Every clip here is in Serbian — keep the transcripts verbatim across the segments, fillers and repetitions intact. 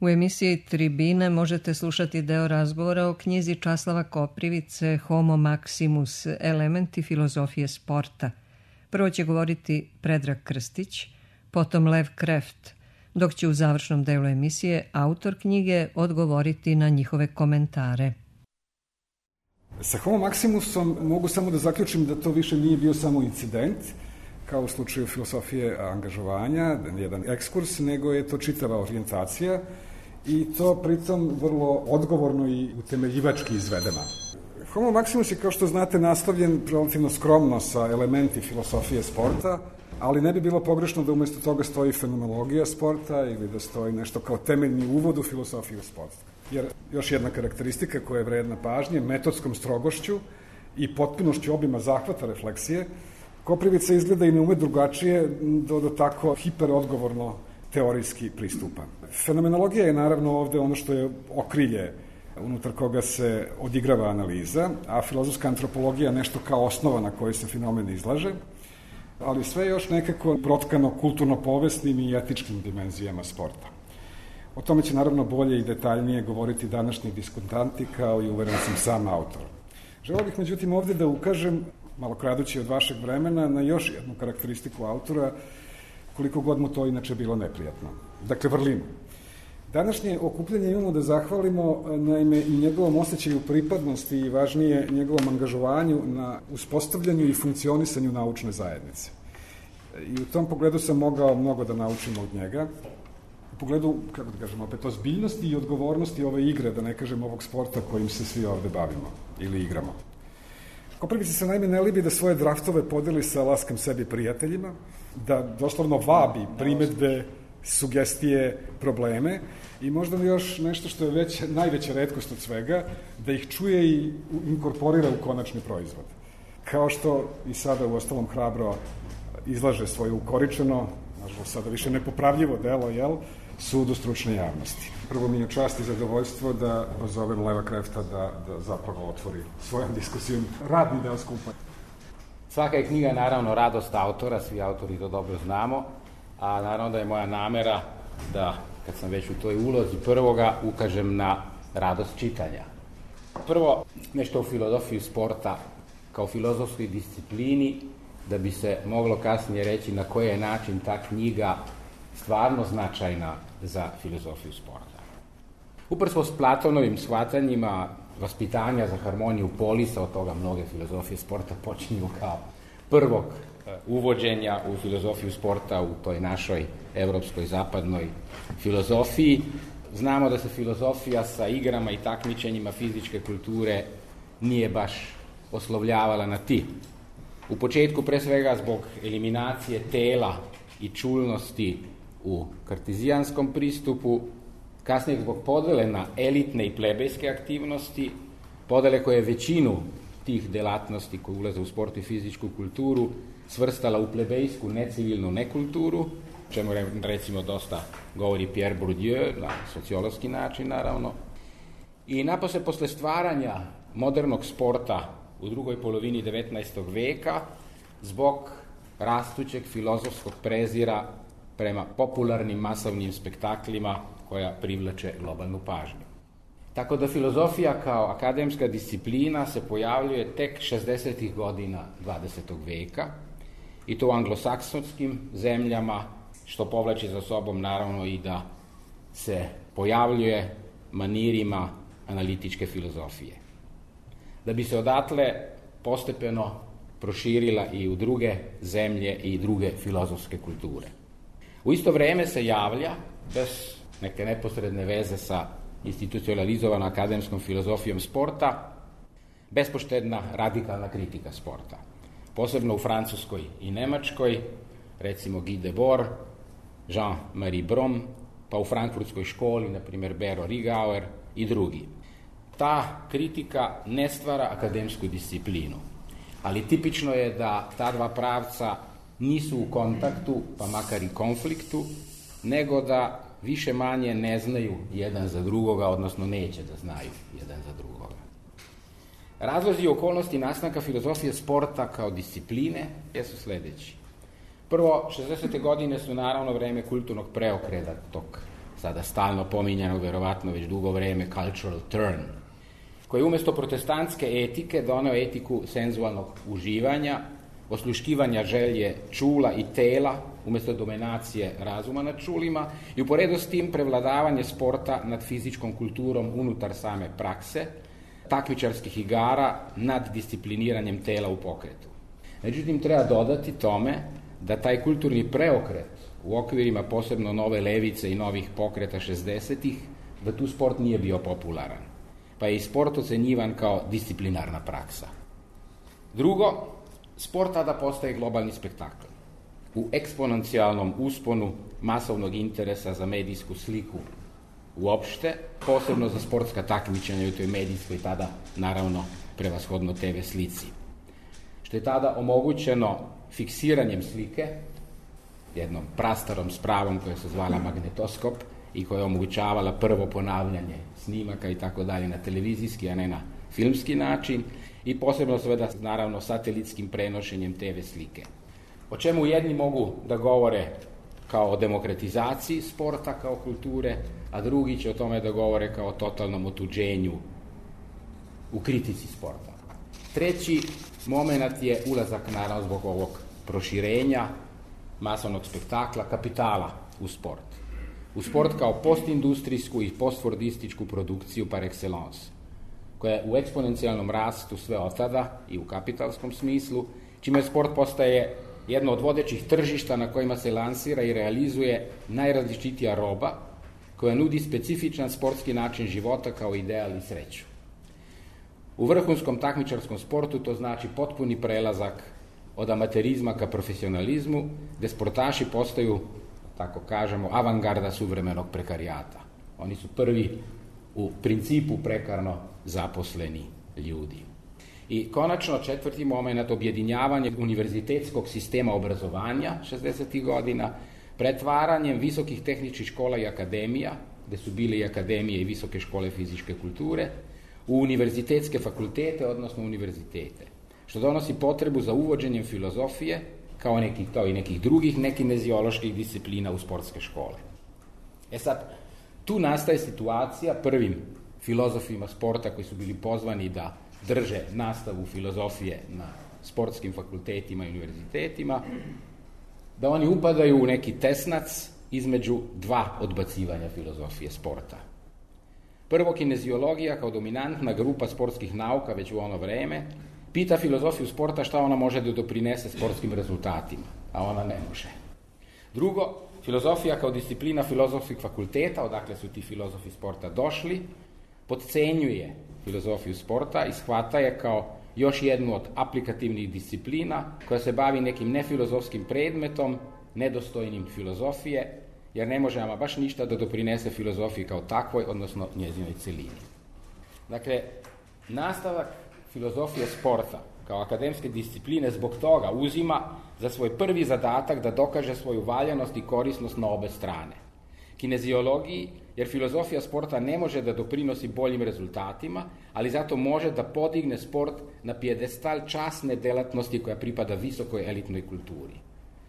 U emisiji Tribine možete slušati deo razgovora o knjizi Časlava Koprivice Homo Maximus, elementi filozofije sporta. Prvo će govoriti Predrag Krstić, potom Lev Kreft, dok će u završnom delu emisije autor knjige odgovoriti na njihove komentare. Sa Homo Maximusom mogu samo da zaključim da to više nije bio samo incident, kao u slučaju filosofije angažovanja, jedan ekskurs, nego je to čitava orijentacija i to pritom vrlo odgovorno i utemeljivački izvedena. Homo Maximus je, kao što znate, nastavljen relativno skromno sa elementi filosofije sporta, ali ne bi bilo pogrešno da umesto toga stoji fenomenologija sporta ili da stoji nešto kao temeljni uvod u filosofiju sporta. Jer još jedna karakteristika koja je vredna pažnje, metodskom strogošću i potpunošću obima zahvata refleksije, Koprivica izgleda i ne ume drugačije do, do tako hiperodgovorno teorijski pristupa. Fenomenologija je naravno ovde ono što je okrilje unutar koga se odigrava analiza, a filozofska antropologija nešto kao osnova na kojoj se fenomen izlaže, ali sve još nekako protkano kulturno-povesnim i etičkim dimenzijama sporta. O tome će naravno bolje i detaljnije govoriti današnji diskutanti, kao i uveren sam sam autor. Želeo bih međutim ovde da ukažem, malo kradući od vašeg vremena, na još jednu karakteristiku autora, koliko god mu to inače bilo neprijatno. Dakle, vrlinu. Današnje okupljanje imamo da zahvalimo naime i njegovom osjećaju pripadnosti i važnije njegovom angažovanju na uspostavljanju i funkcionisanju naučne zajednice. I u tom pogledu sam mogao mnogo da naučim od njega. U pogledu, kako da kažem, opet ozbiljnosti i odgovornosti ove igre, da ne kažem ovog sporta kojim se svi ovde bavimo ili igramo. Koprivica se naime ne libi da svoje draftove podeli sa laskam sebi prijateljima, da doslovno vabi primetbe, sugestije, probleme i možda još nešto što je već najveća retkost od svega, da ih čuje i inkorporira u konačni proizvod. Kao što i sada u ostalom hrabro izlaže svoje ukoričeno, nažalost sada više nepopravljivo delo, jel, sudu stručne javnosti. Prvo mi je čast i zadovoljstvo da pozovem Leva Krefta da, da zapravo otvori svojom diskusijom radni deo skupa. Svaka je knjiga naravno radost autora, svi autori to dobro znamo, a naravno da je moja namera da, kad sam već u toj ulozi prvoga, ukažem na radost čitanja. Prvo, nešto o filozofiji sporta kao filozofskoj disciplini, da bi se moglo kasnije reći na koji je način ta knjiga stvarno značajna za filozofiju sporta. Upravo s Platonovim shvatanjima vaspitanja za harmoniju polisa, od toga mnoge filozofije sporta počinju kao prvog uvođenja u filozofiju sporta u toj našoj evropskoj zapadnoj filozofiji. Znamo da se filozofija sa igrama i takmičenjima fizičke kulture nije baš oslovljavala na ti. U početku pre svega zbog eliminacije tela i čulnosti u kartezijanskom pristupu, kasnije zbog podele na elitne i plebejske aktivnosti, podele koje većinu tih delatnosti koje ulaze u sport i fizičku kulturu svrstala u plebejsku necivilnu nekulturu, čemu recimo dosta govori Pierre Bourdieu, na sociološki način naravno. I napose posle stvaranja modernog sporta u drugoj polovini devetnaestog veka, zbog rastućeg filozofskog prezira prema popularnim masovnim spektaklima koja privlače globalnu pažnju. Tako da filozofija kao akademska disciplina se pojavljuje tek šezdesetih godina dvadesetog veka i to u anglosaksonskim zemljama, što povlači za sobom naravno i da se pojavljuje manirima analitičke filozofije. Da bi se odatle postepeno proširila i u druge zemlje i druge filozofske kulture. U isto vreme se javlja, bez neke neposredne veze sa institucionalizovanom akademskom filozofijom sporta, bespoštedna radikalna kritika sporta. Posebno u Francuskoj i Nemačkoj, recimo Guy Debord, Jean-Marie Brom, pa u frankfurtskoj školi, na primjer Bero Rigauer i drugi. Ta kritika ne stvara akademsku disciplinu, ali tipično je da ta dva pravca nisu u kontaktu, pa makar i konfliktu, nego da više manje ne znaju jedan za drugoga, odnosno neće da znaju jedan za drugoga. Razlozi i okolnosti nastanka filozofije sporta kao discipline jesu sledeći. Prvo, šezdesete godine su naravno vreme kulturnog preokreta tog sada stalno pominjanog, verovatno već dugo vreme, cultural turn, koji je umjesto protestantske etike doneo etiku senzualnog uživanja, osluškivanja želje čula i tela, umjesto dominacije razuma nad čulima, i uporedo s tim prevladavanje sporta nad fizičkom kulturom unutar same prakse, takmičarskih igara nad discipliniranjem tela u pokretu. Međutim, treba dodati tome da taj kulturni preokret u okvirima posebno nove levice i novih pokreta šezdesetih, da tu sport nije bio popularan, pa je i sport ocenjivan kao disciplinarna praksa. Drugo, sport tada postaje globalni spektakl. U eksponencijalnom usponu masovnog interesa za medijsku sliku uopšte, posebno za sportska takmičenja u toj medijskoj tada, naravno, prevashodno te ve slici. Što je tada omogućeno fiksiranjem slike, jednom prastarom spravom koja se zvala magnetoskop i koja je omogućavala prvo ponavljanje snimaka i tako dalje na televizijski, a ne na filmski način, i posebno sveda, naravno, satelitskim prenošenjem te ve slike. O čemu jedni mogu da govore kao o demokratizaciji sporta kao kulture, a drugi će o tome da govore kao o totalnom otuđenju u kritici sporta. Treći moment je ulazak, naravno, zbog ovog proširenja masovnog spektakla, kapitala u sport. U sport kao postindustrijsku i postfordističku produkciju par excellence, koja je u eksponencijalnom rastu sve od tada i u kapitalskom smislu, čime sport postaje jedno od vodećih tržišta na kojima se lansira i realizuje najrazličitija roba, koja nudi specifičan sportski način života kao ideal i sreću. U vrhunskom takmičarskom sportu to znači potpuni prelazak od amaterizma ka profesionalizmu, gde sportaši postaju, tako kažemo, avangarda suvremenog prekarijata. Oni su prvi u principu prekarno zaposleni ljudi. I konačno četvrti moment, objedinjavanje univerzitetskog sistema obrazovanja šezdesetih godina, pretvaranjem visokih tehničkih škola i akademija, gde su bile i akademije i visoke škole fizičke kulture, u univerzitetske fakultete, odnosno univerzitete, što donosi potrebu za uvođenjem filozofije, kao, nekih, kao i nekih drugih nekinezioloških disciplina u sportske škole. E sad, tu nastaje situacija prvim filozofima sporta koji su bili pozvani da drže nastavu filozofije na sportskim fakultetima i univerzitetima, da oni upadaju u neki tesnac između dva odbacivanja filozofije sporta. Prvo, kineziologija kao dominantna grupa sportskih nauka već u ono vreme pita filozofiju sporta šta ona može da doprinese sportskim rezultatima, a ona ne može. Drugo, filozofija kao disciplina filozofskih fakulteta, odakle su ti filozofi sporta došli, potcenjuje filozofiju sporta i shvata je kao još jednu od aplikativnih disciplina koja se bavi nekim nefilozofskim predmetom, nedostojnim filozofije, jer ne može ama baš ništa da doprinese filozofiji kao takvoj, odnosno njezinoj celini. Dakle, nastavak filozofije sporta kao akademske discipline zbog toga uzima za svoj prvi zadatak da dokaže svoju valjanost i korisnost na obe strane. Kineziologiji, jer filozofija sporta ne može da doprinosi boljim rezultatima, ali zato može da podigne sport na pijedestal časne delatnosti koja pripada visokoj elitnoj kulturi.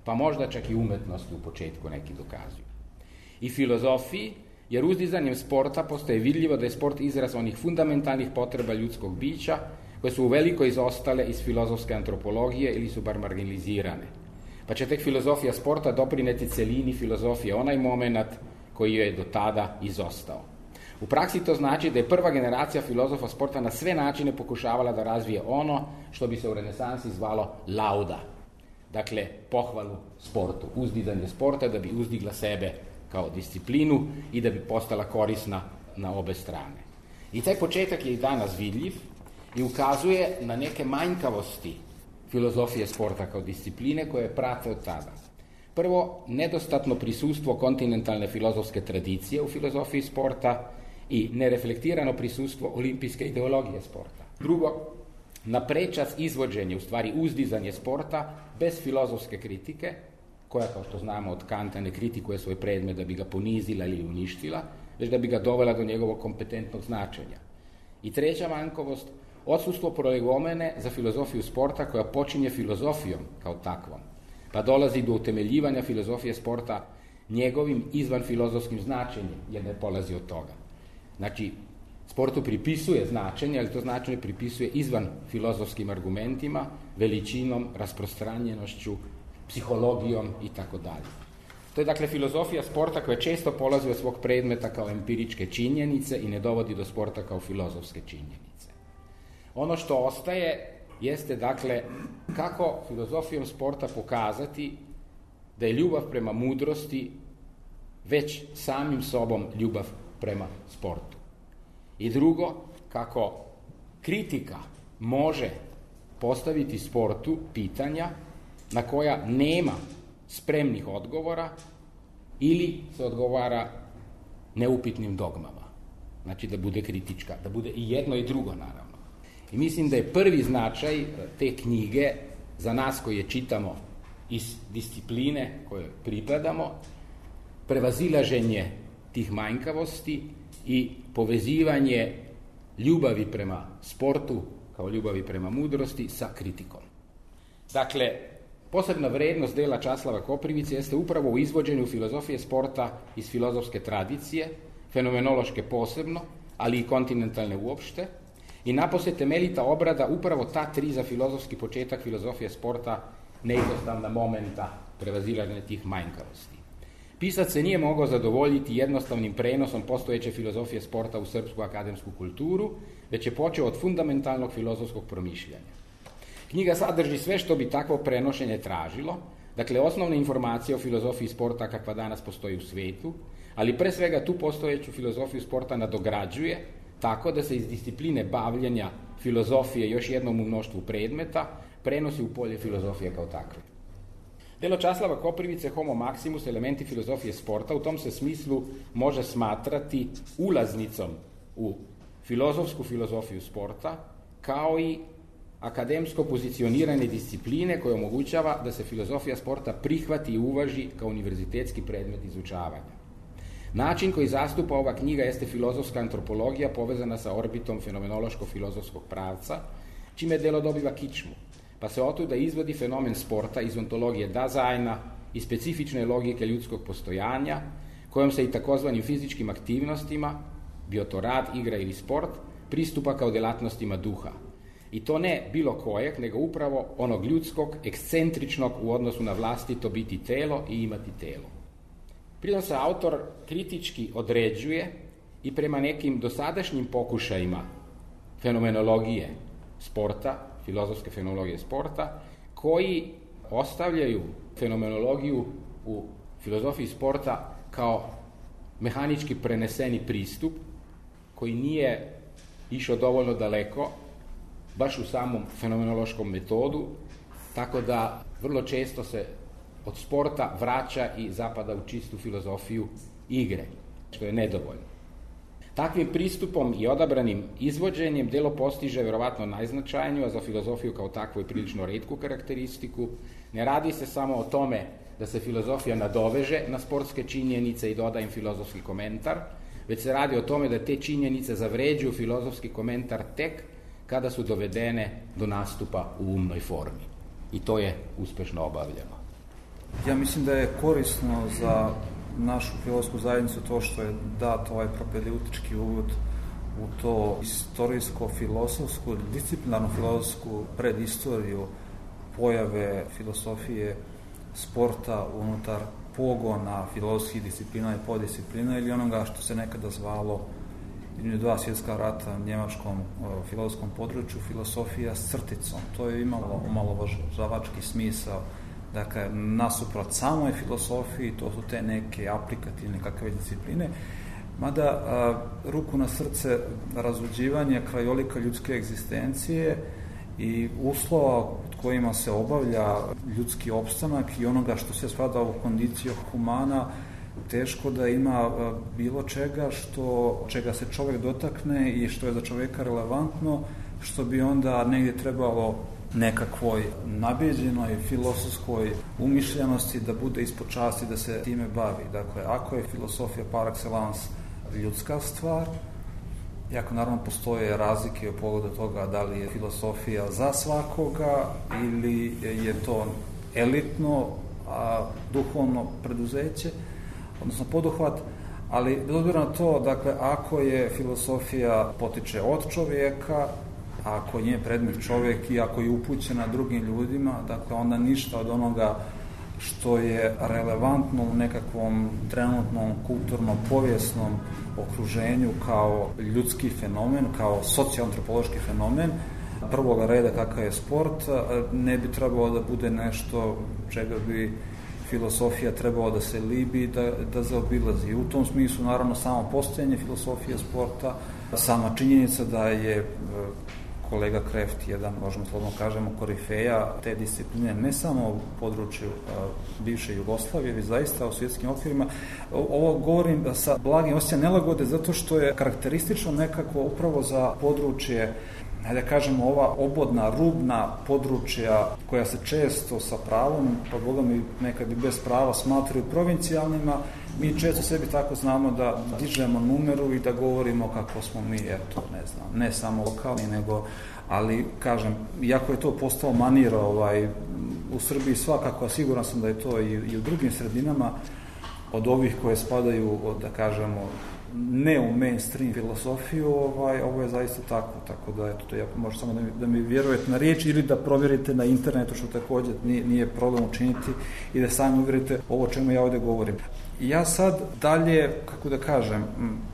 Pa možda čak i umetnosti u početku neki dokazuju. I filozofiji, jer uzdizanjem sporta postaje vidljivo da je sport izraz onih fundamentalnih potreba ljudskog bića koje su uveliko izostale iz filozofske antropologije ili su bar marginalizirane. Pa će tek filozofija sporta doprineti celini filozofije onaj moment koji joj je do tada izostao. U praksi to znači da je prva generacija filozofa sporta na sve načine pokušavala da razvije ono što bi se u renesansi zvalo lauda. Dakle, pohvalu sportu, uzdizanje sporta da bi uzdigla sebe kao disciplinu i da bi postala korisna na obe strane. I taj početak je i danas vidljiv i ukazuje na neke manjkavosti filozofije sporta kao discipline koje prate od tada. Prvo, nedostatno prisustvo kontinentalne filozofske tradicije u filozofiji sporta i nereflektirano prisustvo olimpijske ideologije sporta. Drugo, na prečac izvođenje, u stvari uzdizanje sporta bez filozofske kritike, koja, kao što znamo od Kanta, ne kritikuje svoj predmet da bi ga ponizila ili uništila, već da bi ga dovela do njegovog kompetentnog značenja. I treća manjkavost, odsustvo prolegomene za filozofiju sporta koja počinje filozofijom kao takvom, pa dolazi do utemeljivanja filozofije sporta njegovim izvan filozofskim značenjem, jer ne polazi od toga. Znači, sportu pripisuje značenje, ali to značenje pripisuje izvan filozofskim argumentima, veličinom, rasprostranjenošću, psihologijom i tako dalje. To je dakle filozofija sporta koja često polazi od svog predmeta kao empiričke činjenice i ne dovodi do sporta kao filozofske činjenice. Ono što ostaje jeste dakle kako filozofijom sporta pokazati da je ljubav prema mudrosti već samim sobom ljubav prema sportu. I drugo, kako kritika može postaviti sportu pitanja na koja nema spremnih odgovora ili se odgovara neupitnim dogmama. Znači da bude kritička, da bude i jedno i drugo naravno. I mislim da je prvi značaj te knjige za nas koji je čitamo iz discipline koje pripadamo, prevazilaženje tih manjkavosti i povezivanje ljubavi prema sportu kao ljubavi prema mudrosti sa kritikom. Dakle, posebna vrednost dela Časlava Koprivice jeste upravo u izvođenju filozofije sporta iz filozofske tradicije, fenomenološke posebno, ali i kontinentalne uopšte, i napose temeljita obrada upravo ta tri za filozofski početak filozofije sporta neizostavna momenta prevazilaženja tih manjkavosti. Pisac se nije mogao zadovoljiti jednostavnim prenosom postojeće filozofije sporta u srpsku akademsku kulturu, već je počeo od fundamentalnog filozofskog promišljanja. Knjiga sadrži sve što bi takvo prenošenje tražilo, dakle osnovne informacije o filozofiji sporta kakva danas postoji u svetu, ali pre svega tu postojeću filozofiju sporta nadograđuje tako da se iz discipline bavljenja filozofije još jednom u mnoštvu predmeta prenosi u polje filozofije kao takve. Delo Časlava Koprivice Homo Maximus, elementi filozofije sporta, u tom se smislu može smatrati ulaznicom u filozofsku filozofiju sporta, kao i akademsko pozicioniranje discipline koje omogućava da se filozofija sporta prihvati i uvaži kao univerzitetski predmet izučavanja. Način koji zastupa ova knjiga jeste filozofska antropologija povezana sa orbitom fenomenološko-filozofskog pravca, čime delo dobiva kičmu, pa se otuda izvodi fenomen sporta iz ontologije Dazajna i specifične logike ljudskog postojanja, kojom se i takozvanim fizičkim aktivnostima, bio to rad, igra ili sport, pristupa kao delatnostima duha. I to ne bilo kojeg, nego upravo onog ljudskog, ekscentričnog u odnosu na vlastito biti telo i imati telo. Pritom se autor kritički određuje i prema nekim dosadašnjim pokušajima fenomenologije sporta, filozofske fenomenologije sporta, koji ostavljaju fenomenologiju u filozofiji sporta kao mehanički preneseni pristup koji nije išao dovoljno daleko baš u samom fenomenološkom metodu, tako da vrlo često se od sporta vraća i zapada u čistu filozofiju igre, što je nedovoljno. Takvim pristupom i odabranim izvođenjem delo postiže verovatno najznačajniju, a za filozofiju kao takvu je prilično retku karakteristiku. Ne radi se samo o tome da se filozofija nadoveže na sportske činjenice i doda im filozofski komentar, već se radi o tome da te činjenice zavređuju filozofski komentar tek kada su dovedene do nastupa u umnoj formi. I to je uspešno obavljeno. Ja mislim da je korisno za našu filozofsku zajednicu to što je dat ovaj propedeutički uvod u to istorijsko-filozofsku, disciplinarno-filozofsku predistoriju pojave filosofije sporta unutar pogona filozofskih disciplina i podisciplina ili onoga što se nekada zvalo između dva svjetska rata na njemačkom filozofskom području filosofija s crticom. To je imalo omalovažavački smisao. Dakle, nasuprot samoj filosofiji, to su te neke aplikativne kakve discipline, mada a, ruku na srce razluđivanje krajolika ljudske egzistencije i uslova od kojima se obavlja ljudski opstanak i onoga što se spada u kondiciju humana, teško da ima a, bilo čega što, čega se čovjek dotakne i što je za čovjeka relevantno, što bi onda negdje trebalo nekakvoj nabeđenoj filozofskoj umišljenosti da bude ispod časti da se time bavi. Dakle, ako je filosofija par excellence ljudska stvar, iako naravno postoje razlike u pogledu toga da li je filosofija za svakoga ili je to elitno a, duhovno preduzeće, odnosno poduhvat, ali bez obzira na to, dakle, ako je filosofija potiče od čovjeka, ako je predmet čovjek i ako je upućena drugim ljudima, dakle, onda ništa od onoga što je relevantno u nekakvom trenutnom kulturnom, povijesnom okruženju kao ljudski fenomen, kao socioantropološki fenomen prvoga reda kakav je sport, ne bi trebalo da bude nešto čega bi filosofija trebalo da se libi, da, da zaobilazi. U tom smislu, naravno, samo postojanje filosofije sporta, sama činjenica da je kolega Kreft jedan, možemo slobodno kažemo, korifeja te discipline, ne samo u području a, bivše Jugoslavije, već zaista u svjetskim okvirima. Ovo govorim sa blagim osjećajem nelagode, zato što je karakteristično nekako upravo za područje, da kažemo, ova obodna, rubna područja koja se često sa pravom, pa Boga mi nekad i bez prava smatraju provincijalnima, mi često sebi tako znamo da dižemo numeru i da govorimo kako smo mi, eto, ne znam, ne samo lokalni, nego, ali, kažem, iako je to postao manir ovaj, u Srbiji svakako, a siguran sam da je to i, i u drugim sredinama, od ovih koje spadaju, od, da kažemo, ne u mainstream filosofiju, ovaj, ovo je zaista tako, tako da eto, to ja možete samo da mi, da mi vjerujete na riječ ili da provjerite na internetu, što također nije, nije problem učiniti, i da sami uvjerite ovo čemu ja ovdje govorim. Ja sad dalje, kako da kažem,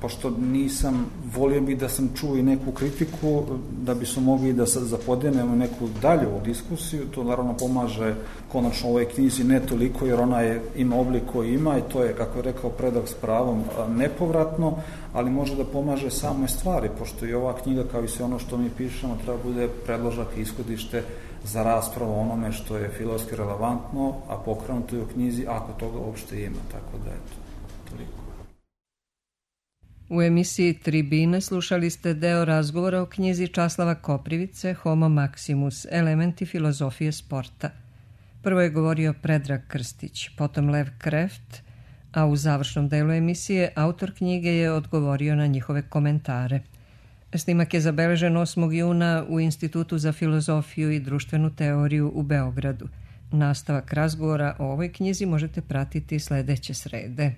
pošto nisam, volio bih da sam čuo i neku kritiku, da bismo mogli da sad zapodenemo neku dalju diskusiju, to naravno pomaže konačno ovoj knjizi ne toliko, jer ona je, ima oblik koji ima i to je, kako je rekao Predrag s pravom, nepovratno, ali može da pomaže samoj stvari, pošto i ova knjiga, kao i sve ono što mi pišemo, treba bude predložak i ishodište za raspravu o onome što je filozofski relevantno, a pokrenuto je u knjizi, ako toga uopšte ima, tako da eto, toliko. U emisiji Tribine slušali ste deo razgovora o knjizi Časlava Koprivice Homo Maximus, elementi filozofije sporta. Prvo je govorio Predrag Krstić, potom Lev Kreft, a u završnom delu emisije autor knjige je odgovorio na njihove komentare. Snimak je zabeležen osmog juna u Institutu za filozofiju i društvenu teoriju u Beogradu. Nastavak razgovora o ovoj knjizi možete pratiti sledeće srede.